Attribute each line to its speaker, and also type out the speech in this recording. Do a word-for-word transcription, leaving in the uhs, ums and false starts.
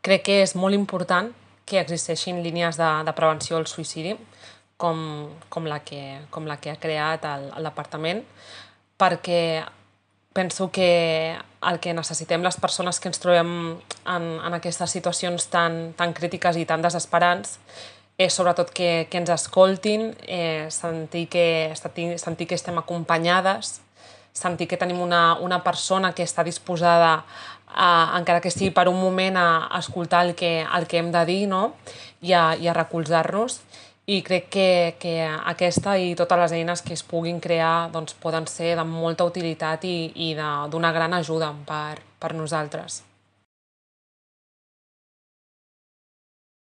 Speaker 1: Crec que és molt important que existeixin línies de, de prevenció al suïcidi, com, com, la, que, com la que ha creat el, el departament, perquè penso que el que necessitem les persones que ens trobem en, en aquestes situacions tan, tan crítiques i tan desesperants és sobretot que, que ens escoltin, eh, sentir, que, sentir que estem acompanyades, sentir que tenim una, una persona que està disposada, a, encara que sigui per un moment, a, a escoltar el que, el que hem de dir, no? I a, i a recolzar-nos. I crec que, que aquesta i totes les eines que es puguin crear doncs, poden ser de molta utilitat i, i de, d'una gran ajuda per, per nosaltres.